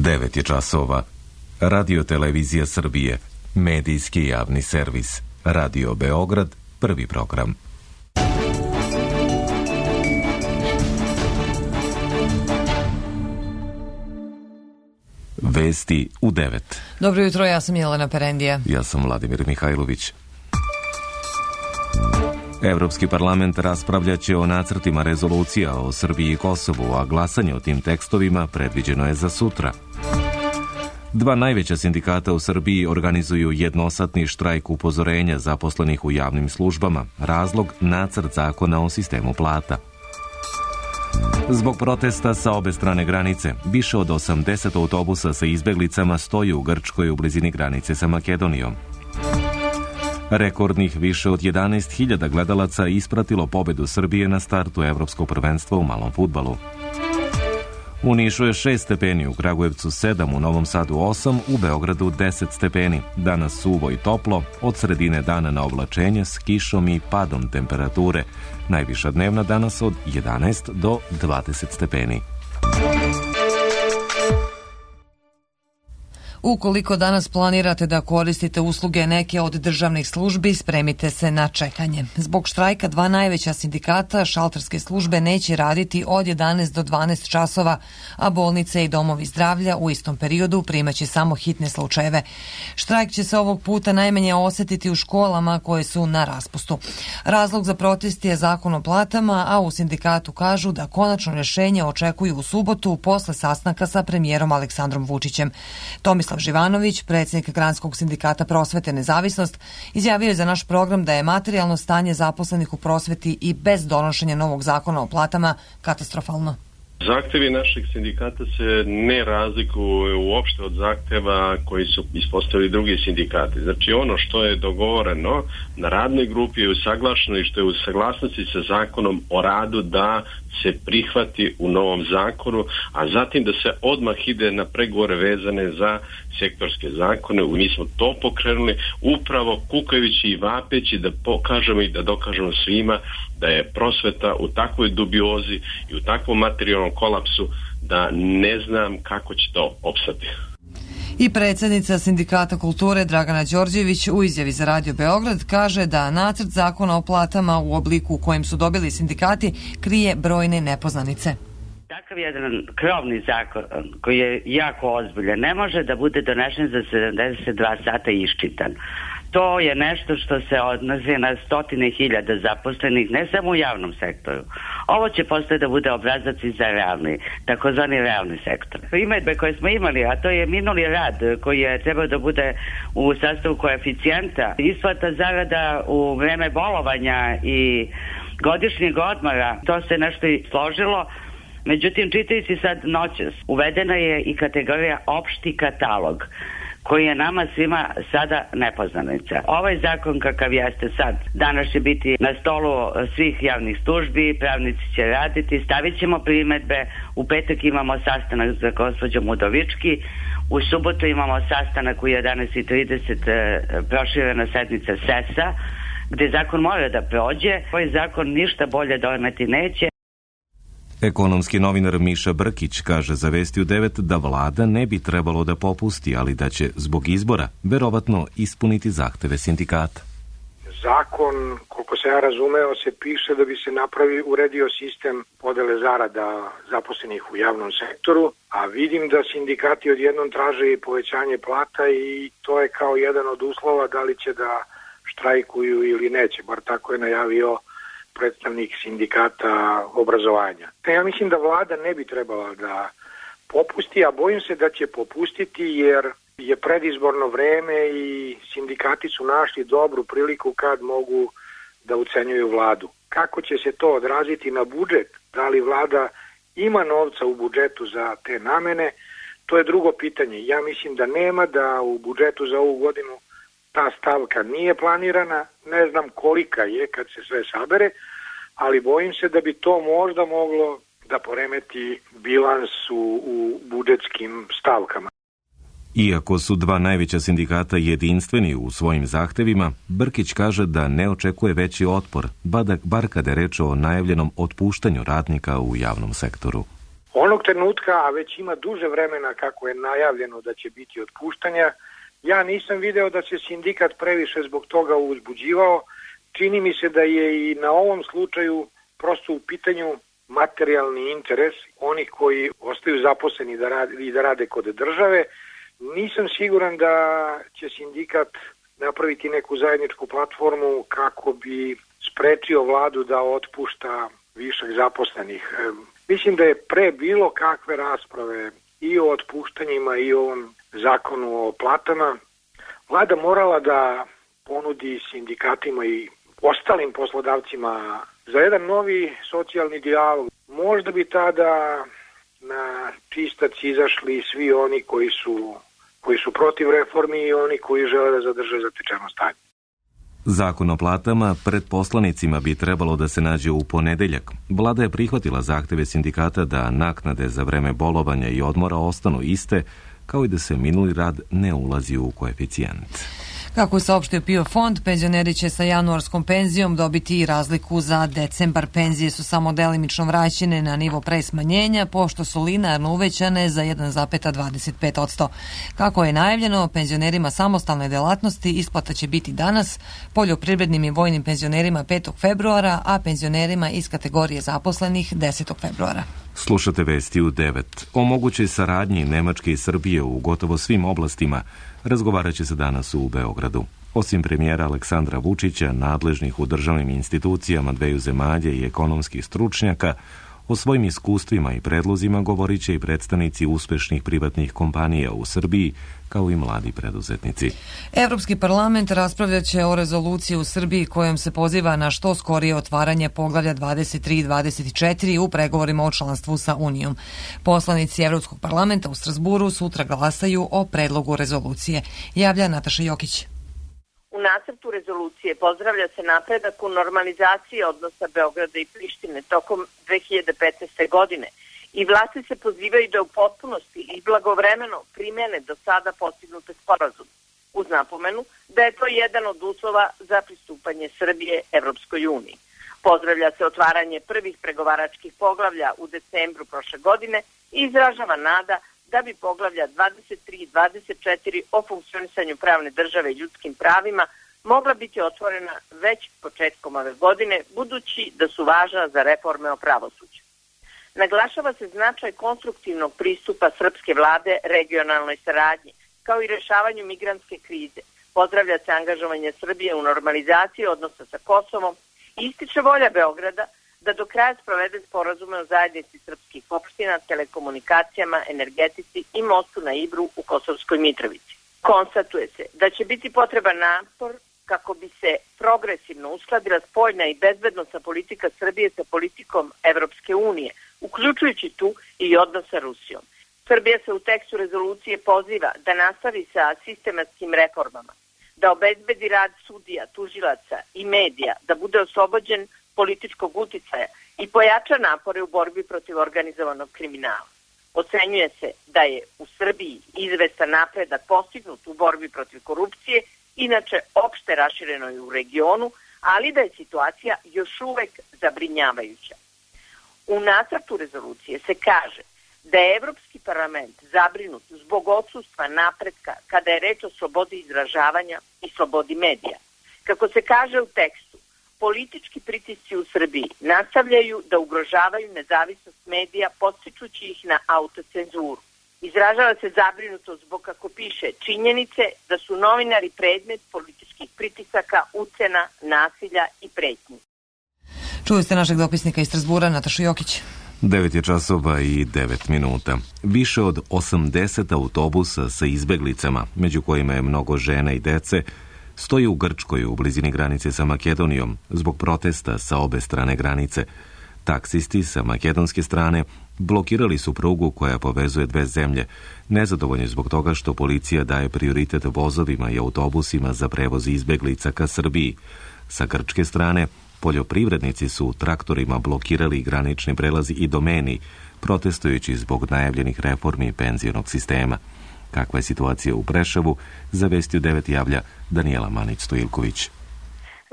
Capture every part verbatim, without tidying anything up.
devet je časova. Radio Televizija Srbije, medijski javni servis. Radio Beograd, prvi program. Vesti u devet. Dobro jutro, ja sam Jelena Perendija. Ja sam Vladimir Mihajlović. Evropski parlament raspravljaće o nacrtima rezolucija o Srbiji i Kosovu, a glasanje o tim tekstovima predviđeno je za sutra. Dva najveća sindikata u Srbiji organizuju jednosatni štrajk upozorenja zaposlenih u javnim službama. Razlog nacrt zakona o sistemu plata. Zbog protesta sa obe strane granice, više od osamdeset autobusa sa izbeglicama stoji u Grčkoj u blizini granice sa Makedonijom. Rekordnih više od jedanaest hiljada gledalaca ispratilo pobedu Srbije na startu Evropskog prvenstva u malom fudbalu. U Nišu je šest stepeni, u Kragujevcu sedam, u Novom Sadu osam, u Beogradu deset stepeni. Danas suvo i toplo, od sredine dana na oblačenje s kišom i padom temperature. Najviša dnevna danas od jedanaest do dvadeset stepeni. Ukoliko danas planirate da koristite usluge neke od državnih službi, spremite se na čekanje. Zbog štrajka dva najveća sindikata, šalterske službe neće raditi od jedanaest do dvanaest časova, a bolnice i domovi zdravlja u istom periodu primaće samo hitne slučajeve. Štrajk će se ovog puta najmanje osetiti u školama koje su na raspustu. Razlog za protest je zakon o platama, a u sindikatu kažu da konačno rješenje očekuju u subotu posle sastanka sa premijerom Aleksandrom Vučićem. Tomislav Živanović, predsjednik Granskog sindikata Prosvete Nezavisnost, izjavio je za naš program da je materijalno stanje zaposlenih u prosveti i bez donošenja novog zakona o platama katastrofalno. Zahtevi našeg sindikata se ne razlikuju uopšte od zahteva koji su ispostavili drugi sindikati. Znači ono što je dogovoreno na radnoj grupi je usaglašeno i što je u saglasnosti sa zakonom o radu da se prihvati u novom zakonu, a zatim da se odmah ide na pregovore vezane za sektorske zakone. Mi smo to pokrenuli upravo kukajući i vapeći da pokažemo i da dokažemo svima da je prosveta u takvoj dubiozi i u takvom materijalnom kolapsu da ne znam kako će to opstati. I predsjednica Sindikata kulture Dragana Đorđević u izjavi za Radio Beograd kaže da nacrt zakona o platama u obliku u kojem su dobili sindikati krije brojne nepoznanice. Takav jedan krovni zakon koji je jako ozbiljan ne može da bude donešen za sedamdeset dva sata i iščitan. To je nešto što se odnosi na stotine hiljada zaposlenih, ne samo u javnom sektoru. Ovo će postoje da bude obrazac i za realni, takozvani realni sektor. Primedbe koje smo imali, a to je minuli rad koji je trebao da bude u sastavu koeficijenta, isplata zarada u vreme bolovanja i godišnjeg odmora, to se nešto i složilo. Međutim, čitajući sad noćas, uvedena je i kategorija opšti katalog, koji je nama svima sada nepoznanica. Ovaj zakon kakav jeste sad, danas će biti na stolu svih javnih službi, pravnici će raditi, stavit ćemo primedbe, u petak imamo sastanak za gospođom Udovički, u subotu imamo sastanak u jedanaest i trideset proširena sednica S E S A, gde zakon mora da prođe. Ovaj zakon ništa bolje doneti neće. Ekonomski novinar Miša Brkić kaže za Vesti u devet da vlada ne bi trebalo da popusti, ali da će zbog izbora verovatno ispuniti zahteve sindikata. Zakon, koliko se ja razumeo, se piše da bi se napravi uredio sistem podele zarada zaposlenih u javnom sektoru, a vidim da sindikati odjednom traže i povećanje plata i to je kao jedan od uslova da li će da štrajkuju ili neće, bar tako je najavio predstavnik sindikata obrazovanja. Ja mislim da vlada ne bi trebala da popusti, a bojim se da će popustiti jer je predizborno vreme i sindikati su našli dobru priliku kad mogu da ucenjuju vladu. Kako će se to odraziti na budžet? Da li vlada ima novca u budžetu za te namene? To je drugo pitanje. Ja mislim da nema, da u budžetu za ovu godinu ta stavka nije planirana, ne znam kolika je kad se sve sabere, ali bojim se da bi to možda moglo da poremeti bilans u, u budžetskim stavkama. Iako su dva najveća sindikata jedinstveni u svojim zahtevima, Brkić kaže da ne očekuje veći otpor, bar kada je reč o najavljenom otpuštanju radnika u javnom sektoru. Onog trenutka, a već ima duže vremena kako je najavljeno da će biti otpuštanja, ja nisam video da se sindikat previše zbog toga uzbuđivao. Čini mi se da je i na ovom slučaju prosto u pitanju materijalni interes onih koji ostaju zaposleni da rade, i da rade kod države. Nisam siguran da će sindikat napraviti neku zajedničku platformu kako bi sprečio vladu da otpušta višak zaposlenih. Mislim da je pre bilo kakve rasprave i o otpuštanjima i o ovom zakonu o platama vlada morala da ponudi sindikatima i ostalim poslodavcima za jedan novi socijalni dijalog. Možda bi tada na čistac izašli svi oni koji su, koji su protiv reformi i oni koji žele da zadrže zatečeno stanje. Zakon o platama pred poslanicima bi trebalo da se nađe u ponedeljak. Vlada je prihvatila zahteve sindikata da naknade za vreme bolovanja i odmora ostanu iste, kao i da se minuli rad ne ulazi u koeficijent. Kako je saopštio PIO fond, penzioneri će sa januarskom penzijom dobiti i razliku za decembar. Penzije su samo delimično vraćene na nivo pre smanjenja, pošto su linearno uvećane za jedan zarez dvadeset pet posto. Kako je najavljeno, penzionerima samostalne delatnosti isplata će biti danas, poljoprivrednim i vojnim penzionerima petog februara, a penzionerima iz kategorije zaposlenih desetog februara. Slušate vesti u devet. O mogućoj saradnji Nemačke i Srbije u gotovo svim oblastima razgovarat će se danas u Beogradu. Osim premijera Aleksandra Vučića, nadležnih u državnim institucijama dveju zemalja i ekonomskih stručnjaka, o svojim iskustvima i predlozima govorit će i predstavnici uspešnih privatnih kompanija u Srbiji, kao i mladi preduzetnici. Evropski parlament raspravljat će o rezoluciji u Srbiji kojom se poziva na što skorije otvaranje poglavlja dvadeset tri i dvadeset četiri u pregovorima o članstvu sa Unijom. Poslanici Evropskog parlamenta u Strasburu sutra glasaju o predlogu rezolucije. Javlja Nataša Jokić. U nacrtu rezolucije pozdravlja se napredak u normalizaciji odnosa Beograda i Prištine tokom dve hiljade petnaeste. godine i vlasti se pozivaju da u potpunosti i blagovremeno primjene do sada postignute sporazume, uz napomenu da je to jedan od uslova za pristupanje Srbije Evropskoj uniji. Pozdravlja se otvaranje prvih pregovaračkih poglavlja u decembru prošle godine i izražava nada da bi poglavlja dvadeset tri i dvadeset četiri o funkcionisanju pravne države i ljudskim pravima mogla biti otvorena već početkom ove godine, budući da su važna za reforme o pravosuđu. Naglašava se značaj konstruktivnog pristupa srpske vlade regionalnoj saradnji, kao i rešavanju migrantske krize. Pozdravlja se angažovanje Srbije u normalizaciji odnosa sa Kosovom i ističe volja Beograda da do kraja sprovede sporazume o zajednici srpskih opština, telekomunikacijama, energetici i mostu na Ibru u Kosovskoj Mitrovici. Konstatuje se da će biti potreban napor kako bi se progresivno uskladila spoljna i bezbednosna politika Srbije sa politikom Evropske unije, uključujući tu i odnos sa Rusijom. Srbija se u tekstu rezolucije poziva da nastavi sa sistematskim reformama, da obezbedi rad sudija, tužilaca i medija, da bude oslobođen političkog uticaja i pojača napore u borbi protiv organizovanog kriminala. Ocenjuje se da je u Srbiji izvestan napredak postignut u borbi protiv korupcije, inače opšte raširenoj u regionu, ali da je situacija još uvek zabrinjavajuća. U nacrtu rezolucije se kaže da je Evropski parlament zabrinut zbog odsustva napretka kada je reč o slobodi izražavanja i slobodi medija. Kako se kaže u tekstu, politički pritisci u Srbiji nastavljaju da ugrožavaju nezavisnost medija, podstičući ih na autocenzuru. Izražava se zabrinutost zbog, kako piše, činjenice da su novinari predmet političkih pritisaka, ucena, nasilja i pretnji. Čuli ste našeg dopisnika iz Strasbura, Natašu Jokić. devet je časova i devet minuta. Više od osamdeset autobusa sa izbeglicama, među kojima je mnogo žena i dece, stoji u Grčkoj u blizini granice sa Makedonijom zbog protesta sa obe strane granice. Taksisti sa makedonske strane blokirali su prugu koja povezuje dve zemlje, nezadovoljni zbog toga što policija daje prioritet vozovima i autobusima za prevoz izbeglica ka Srbiji. Sa grčke strane, poljoprivrednici su traktorima blokirali granični prelazi i domeni, protestujući zbog najavljenih reformi penzionog sistema. Kakva je situacija u Preševu, za Vesti u devet javlja Danijela Manić-Stojilković.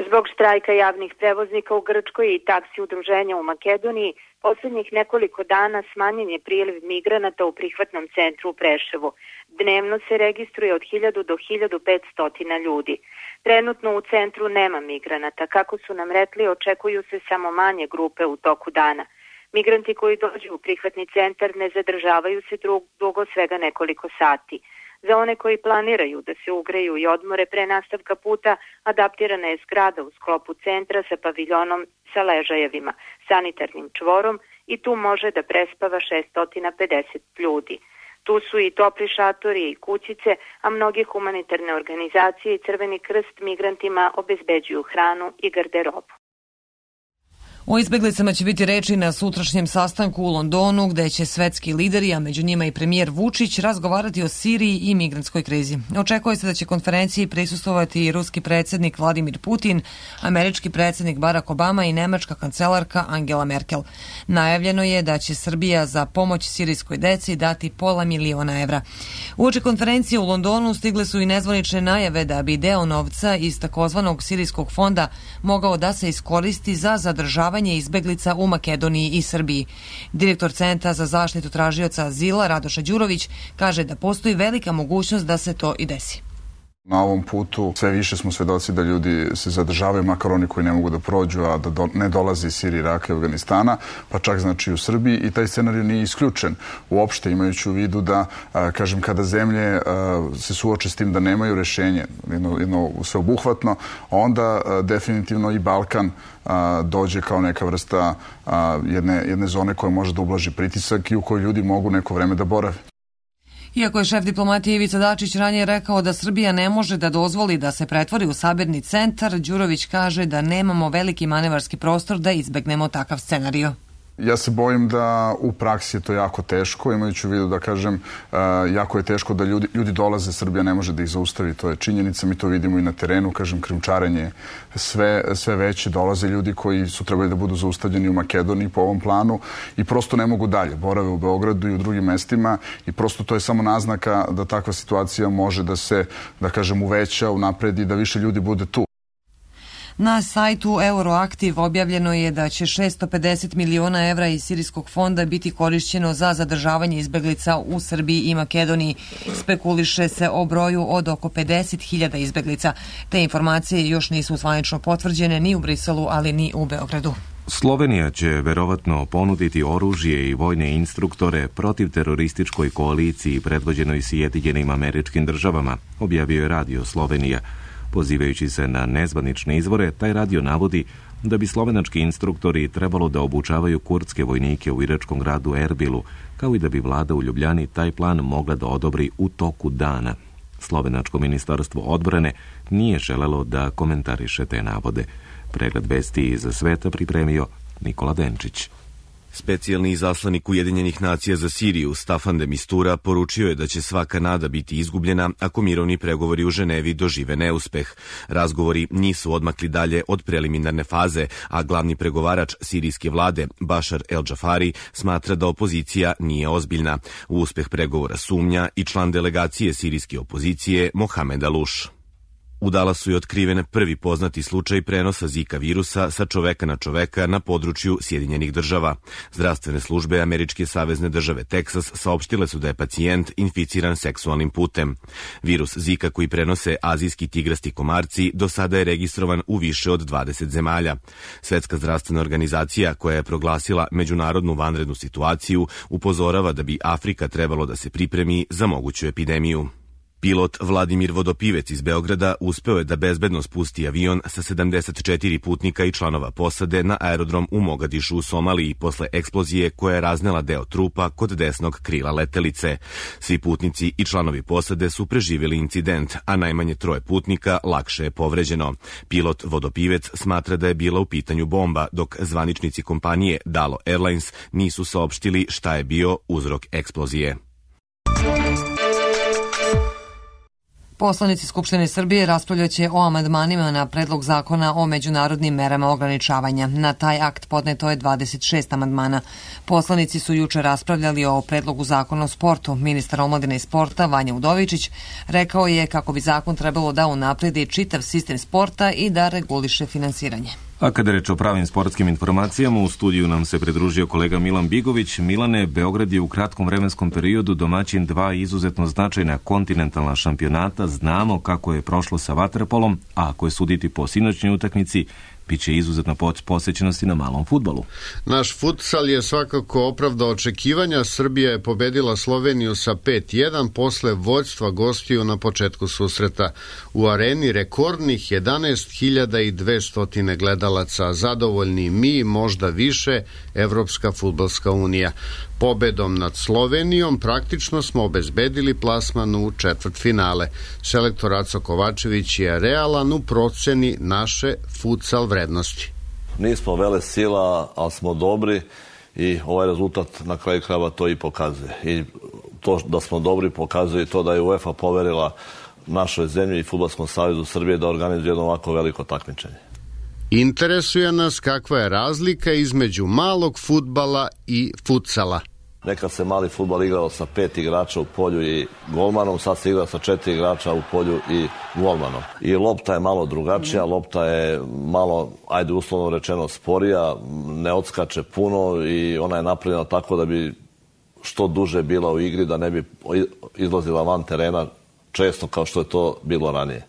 Zbog štrajka javnih prevoznika u Grčkoj i taksi udruženja u Makedoniji, poslednjih nekoliko dana smanjen je priliv migranata u prihvatnom centru u Preševu. Dnevno se registruje od hiljadu do hiljadu petsto ljudi. Trenutno u centru nema migranata. Kako su nam rekli, očekuju se samo manje grupe u toku dana. Migranti koji dođu u prihvatni centar ne zadržavaju se dugo, svega nekoliko sati. Za one koji planiraju da se ugreju i odmore pre nastavka puta, adaptirana je zgrada u sklopu centra sa paviljonom sa ležajevima, sanitarnim čvorom i tu može da prespava šesto pedeset ljudi. Tu su i topli šatori i kućice, a mnoge humanitarne organizacije i Crveni krst migrantima obezbeđuju hranu i garderobu. O izbeglicama će biti reči na sutrašnjem sastanku u Londonu, gde će svetski lideri, a među njima i premijer Vučić, razgovarati o Siriji i migrantskoj krizi. Očekuje se da će konferenciji prisustvovati i ruski predsjednik Vladimir Putin, američki predsjednik Barack Obama i nemačka kancelarka Angela Merkel. Najavljeno je da će Srbija za pomoć sirijskoj deci dati pola miliona evra. Uoči konferencije u Londonu stigle su i nezvanične najave da bi deo novca iz takozvanog sirijskog fonda mogao da se iskoristi za zadržavanje izbeglica u Makedoniji i Srbiji. Direktor Centra za zaštitu tražioca azila Radoša Đurović kaže da postoji velika mogućnost da se to i desi. Na ovom putu sve više smo svedoci da ljudi se zadržavaju, makar oni koji ne mogu da prođu, a da do, ne dolaze iz Sirije, Iraka i Afganistana, pa čak znači u Srbiji, i taj scenarij nije isključen. Uopšte imajući u vidu da, a, kažem, kada zemlje a, se suoče s tim da nemaju rešenje, jedno, jedno sveobuhvatno, onda a, definitivno i Balkan a, dođe kao neka vrsta a, jedne, jedne zone koja može da ublaži pritisak i u kojoj ljudi mogu neko vreme da borave. Iako je šef diplomatije Ivica Dačić ranije rekao da Srbija ne može da dozvoli da se pretvori u sabirni centar, Đurović kaže da nemamo veliki manevarski prostor da izbegnemo takav scenario. Ja se bojim da u praksi je to jako teško, imajući u vidu da kažem, jako je teško da ljudi, ljudi dolaze, Srbija ne može da ih zaustavi, to je činjenica, mi to vidimo i na terenu, kažem, krijumčarenje sve, sve veće, dolaze ljudi koji su trebali da budu zaustavljeni u Makedoniji po ovom planu i prosto ne mogu dalje, borave u Beogradu i u drugim mestima i prosto to je samo naznaka da takva situacija može da se, da kažem, uveća, unapredi, da više ljudi bude tu. Na sajtu Euroaktiv objavljeno je da će šesto pedeset miliona evra iz sirijskog fonda biti korišćeno za zadržavanje izbeglica u Srbiji i Makedoniji. Spekuliše se o broju od oko pedeset hiljada izbeglica. Te informacije još nisu zvanično potvrđene ni u Briselu, ali ni u Beogradu. Slovenija će verovatno ponuditi oružje i vojne instruktore protiv terorističkoj koaliciji predvođenoj Sjedinjenim Američkim Državama, objavio je Radio Slovenija. Pozivajući se na nezvanične izvore, taj radio navodi da bi slovenački instruktori trebalo da obučavaju kurdske vojnike u iračkom gradu Erbilu, kao i da bi vlada u Ljubljani taj plan mogla da odobri u toku dana. Slovenačko ministarstvo odbrane nije želelo da komentariše te navode. Pregled vesti iz sveta pripremio Nikola Denčić. Specijalni izaslanik Ujedinjenih nacija za Siriju Staffan de Mistura poručio je da će svaka nada biti izgubljena ako mirovni pregovori u Ženevi dožive neuspeh. Razgovori nisu odmakli dalje od preliminarne faze, a glavni pregovarač sirijske vlade Bashar el-Džafari smatra da opozicija nije ozbiljna. U uspeh pregovora sumnja i član delegacije sirijske opozicije Mohamed Aluš. U Dallasu je otkriven prvi poznati slučaj prenosa Zika virusa sa čoveka na čoveka na području Sjedinjenih država. Zdravstvene službe američke savezne države Teksas saopštile su da je pacijent inficiran seksualnim putem. Virus Zika koji prenose azijski tigrasti komarci do sada je registrovan u više od dvadeset zemalja. Svetska zdravstvena organizacija, koja je proglasila međunarodnu vanrednu situaciju, upozorava da bi Afrika trebalo da se pripremi za moguću epidemiju. Pilot Vladimir Vodopivec iz Beograda uspeo je da bezbedno spusti avion sa sedamdeset četiri putnika i članova posade na aerodrom u Mogadišu u Somaliji posle eksplozije koja je raznela deo trupa kod desnog krila letelice. Svi putnici i članovi posade su preživjeli incident, a najmanje troje putnika lakše je povređeno. Pilot Vodopivec smatra da je bila u pitanju bomba, dok zvaničnici kompanije Dalo Airlines nisu saopštili šta je bio uzrok eksplozije. Poslanici Skupštine Srbije raspravljaće o amandmanima na predlog zakona o međunarodnim merama ograničavanja. Na taj akt podneto je dvadeset šest amandmana. Poslanici su juče raspravljali o predlogu zakona o sportu. Ministar omladine i sporta Vanja Udovičić rekao je kako bi zakon trebalo da unapredi čitav sistem sporta i da reguliše finansiranje. A kada reč o pravim sportskim informacijama, u studiju nam se pridružio kolega Milan Bigović. Milane, Beograd je u kratkom vremenskom periodu domaćin dva izuzetno značajna kontinentalna šampionata. Znamo kako je prošlo sa vaterpolom, a ako je suditi po sinoćnoj utakmici, biće izuzetna posvećenosti na malom fudbalu. Naš futsal je svakako opravdao očekivanja. Srbija je pobedila Sloveniju sa pet jedan posle vođstva gostiju na početku susreta. U areni rekordnih jedanaest hiljada dvesta gledalaca, zadovoljni mi, možda više, Evropska fudbalska unija. Pobedom nad Slovenijom praktično smo obezbedili plasman u četvrtfinale. Selektor Aco Kovačević je realan u proceni naše futsal vrednosti. Nismo vele sila, ali smo dobri i ovaj rezultat na kraju krajeva to i pokazuje. I to da smo dobri pokazuje to da je UEFA poverila našoj zemlji i Fudbalskom savezu Srbije da organizuje jedno ovako veliko takmičenje. Interesuje nas kakva je razlika između malog fudbala i futsala. Nekad se mali fudbal igrao sa pet igrača u polju i golmanom, sad se igra sa četiri igrača u polju i golmanom. I lopta je malo drugačija, lopta je malo, ajde uslovno rečeno, sporija, ne odskače puno i ona je napravljena tako da bi što duže bila u igri, da ne bi izlazila van terena često kao što je to bilo ranije.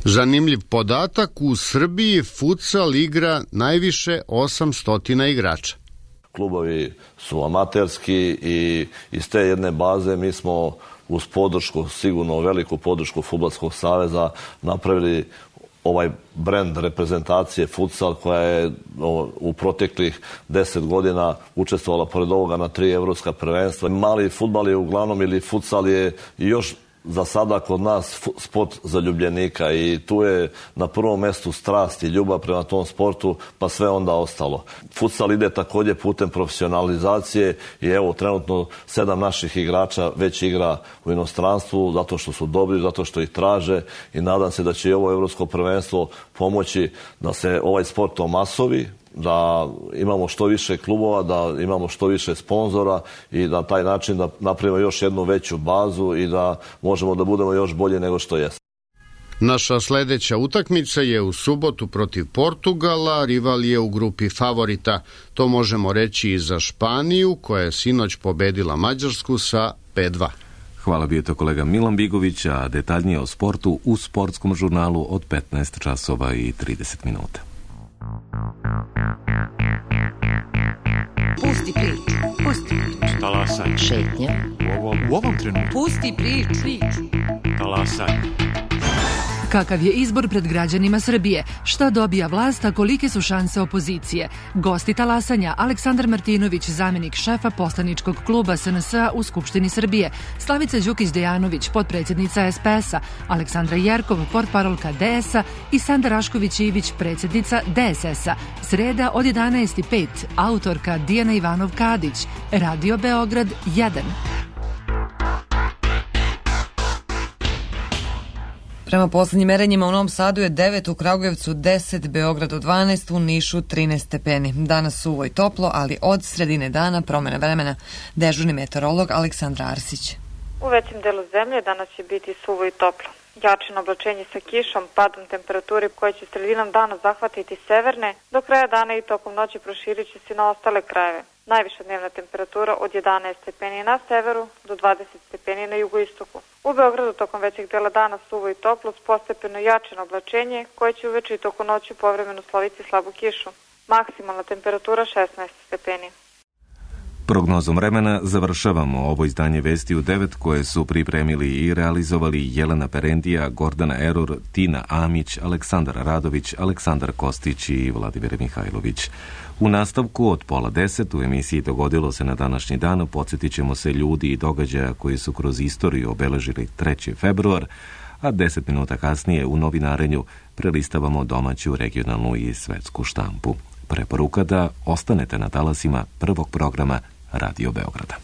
Zanimljiv podatak, u Srbiji futsal igra najviše osamsto igrača. Klubovi su amaterski i iz te jedne baze mi smo uz podršku, sigurno veliku podršku Fudbalskog saveza, napravili ovaj brend reprezentacije futsal koja je u proteklih deset godina učestvovala pored ovoga na tri evropska prvenstva. Mali fudbal je uglavnom ili futsal je još za sada kod nas sport zaljubljenika i tu je na prvom mestu strast i ljubav prema tom sportu, pa sve onda ostalo. Futsal ide također putem profesionalizacije i evo trenutno sedam naših igrača već igra u inostranstvu zato što su dobri, zato što ih traže i nadam se da će i ovo evropsko prvenstvo pomoći da se ovaj sport omasovi, da imamo što više klubova, da imamo što više sponzora i na taj način da napravimo još jednu veću bazu i da možemo da budemo još bolje nego što jeste. Naša sledeća utakmica je u subotu protiv Portugala, rival je u grupi favorita. To možemo reći i za Španiju, koja je sinoć pobedila Mađarsku sa pet dva. Hvala, bio to kolega Milan Bigović, a detaljnije o sportu u sportskom žurnalu od petnaest časova i trideset minuta. Pusti priču, pusti priču. Talasaj. Šetnja. U ovom, u ovom trenutku. Pusti priču. priču. Talasaj. Kakav je izbor pred građanima Srbije? Šta dobija vlast, a kolike su šanse opozicije? Gosti talasanja: Aleksandar Martinović, zamenik šefa poslaničkog kluba S N S-a u Skupštini Srbije, Slavica Đukić-Dejanović, potpredsjednica S P S-a, Aleksandra Jerkov, portparolka D S-a i Sanda Rašković-Ivić, predsjednica D S S-a. Sreda od jedanaest i pet, autorka Dijana Ivanov-Kadić, Radio Beograd jedan. Prema poslednjim merenjima u Novom Sadu je devet, u Kragujevcu deset, Beogradu dvanaest, u Nišu trinaest stepeni. Danas suvo i toplo, ali od sredine dana promena vremena. Dežurni meteorolog Aleksandra Arsić. U većem delu zemlje danas će biti suvo i toplo. Jačino oblačenje sa kišom, padom temperature koje će sredinom dana zahvatiti severne, do kraja dana i tokom noći proširit će se na ostale krajeve. Najviša dnevna temperatura od jedanaest stepeni na severu do dvadeset stepeni na jugoistoku. U Beogradu tokom većeg dela dana suvo i toplo s postepeno jačino oblačenje koje će uveče i tokom noći povremeno sloviti slabu kišu. Maksimalna temperatura šesnaest stepeni. Prognozom vremena završavamo ovo izdanje Vesti u devet koje su pripremili i realizovali Jelena Perendija, Gordana Erur, Tina Amić, Aleksandar Radović, Aleksandar Kostić i Vladimir Mihajlović. U nastavku od pola deset u emisiji Dogodilo se na današnji dan podsjetit ćemo se ljudi i događaja koji su kroz istoriju obeležili treći februar, a deset minuta kasnije u novinarenju prelistavamo domaću, regionalnu i svetsku štampu. Preporuka da ostanete na talasima prvog programa Radio Beograda.